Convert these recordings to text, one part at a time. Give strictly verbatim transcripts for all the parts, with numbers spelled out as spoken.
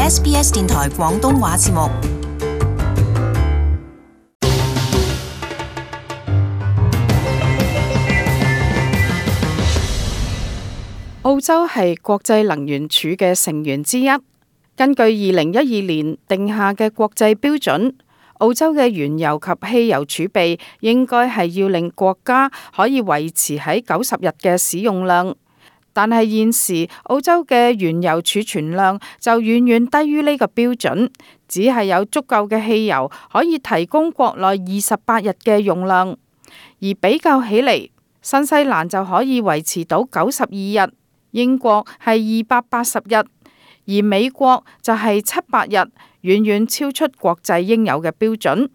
S B S 電台廣東話節目。澳洲係國際能源署嘅成員之一，根據二零一二年定下嘅國際標準，澳洲嘅原油及汽油儲備應該係要令國家可以維持喺九十日嘅使用量。但係現時澳洲嘅原油儲存量就遠遠低於呢個標準，只係有足夠嘅汽油可以提供國內二十八日嘅用量，而比較起嚟，新西蘭就可以維持到九十二日。英國係二百八十日，而美國就係七百日，遠遠超出國際應有嘅標準。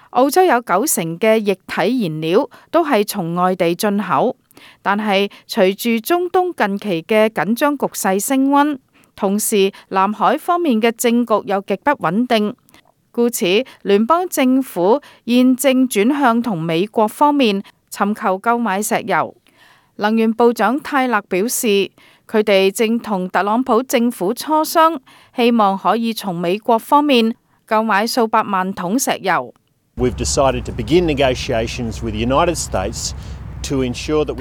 澳洲有九成嘅液體燃料都係從外地進口，但係隨住中東近期嘅緊張局勢升溫，同時南海方面嘅政局又極不穩定，故此聯邦政府現正轉向同美國方面尋求購買石油。能源部長泰勒表示，佢哋正同特朗普政府磋商，希望可以從美國方面購買數百萬桶石油。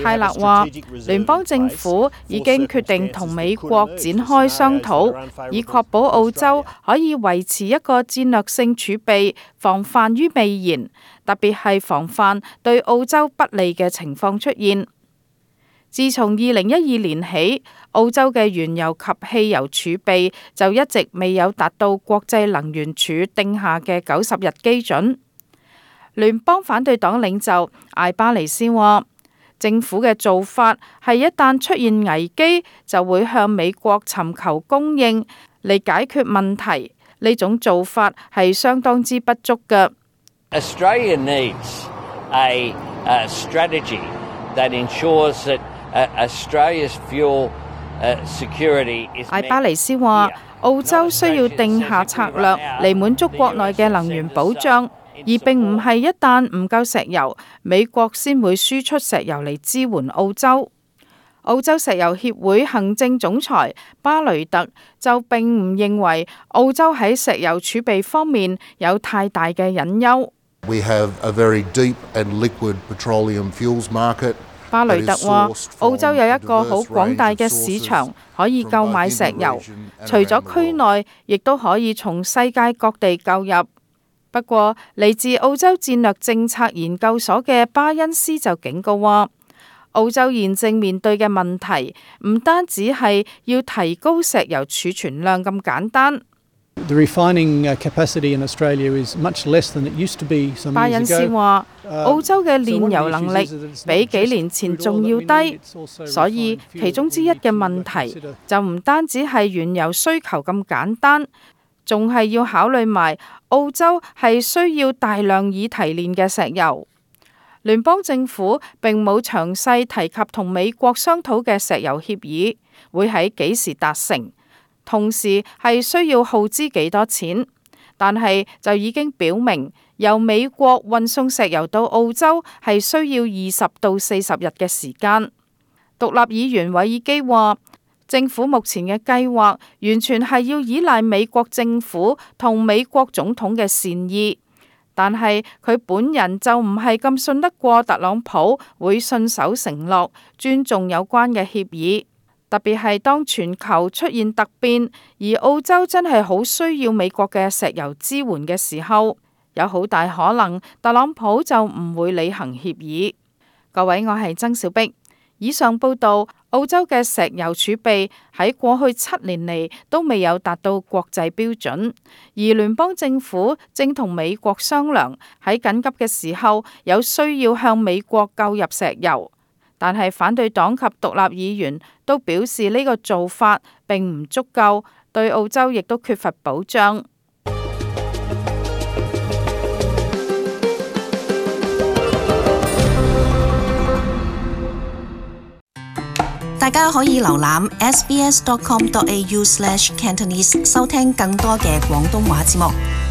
泰勒話，聯邦政府已經決定同美國展開商討，以確保澳洲可以維持一個戰略性儲備，防範於未然，特別係防範對澳洲不利嘅情況出現。自從二零一二年起，澳洲嘅原油及汽油儲備就一直未有達到國際能源署定下嘅九十日基準。聯邦反對黨領袖艾巴尼斯話，政府嘅做法係一旦出現危機，就會向美國尋求供應嚟解決問題。呢種做法係相當之不足嘅。Australia needs a, a strategy that ensures that Australia's fuel security is met. 艾巴尼斯話，澳洲需要定下策略嚟滿足國內嘅能源保障，而並唔係一旦唔夠石油，美國先會輸出石油嚟支援澳洲。澳洲石油協會行政總裁巴雷特就並唔認為澳洲喺石油儲備方面有太大嘅隱憂。We have a very deep and liquid petroleum fuels market. 巴雷特話，澳洲有一個好廣大嘅市場可以購買石油，除咗區內，亦都可以從世界各地購入。不過，嚟自澳洲戰略政策研究所嘅巴恩斯就警告話，澳洲現正面對嘅問題唔單止係要提高石油儲存量咁簡單。The refining capacity in Australia is much less than it used to be some years ago. 巴恩斯話，澳洲嘅煉油能力比幾年前仲要低，所以其中之一嘅問題就唔單止係原油需求咁簡單，仲係要考慮埋澳洲係需要大量已提煉嘅石油。聯邦政府並冇詳細提及同美國商討嘅石油協議會喺幾時達成，同時係需要耗資幾多錢，但係就已經表明由美國運送石油到澳洲係需要二十到四十日嘅時間。獨立議員韋爾基話，政府目前嘅計劃完全係要依賴美國政府同美國總統嘅善意，但係佢本人就唔係咁信得過特朗普會信守承諾，尊重有關嘅協議。特別係當全球出現突變，而澳洲真係好需要美國嘅石油支援嘅時候，有好大可能特朗普就唔會履行協議。各位，我係曾小碧。以上報道，澳洲嘅石油儲備喺過去七年嚟都未有達到國際標準，而聯邦政府正同美國商量喺緊急嘅時候有需要向美國購入石油。但係反對黨及獨立議員都表示呢個做法並唔足夠，對澳洲亦都缺乏保障。大家可以瀏覽 s b s dot com dot a u slash cantonese 收聽更多嘅廣東話節目。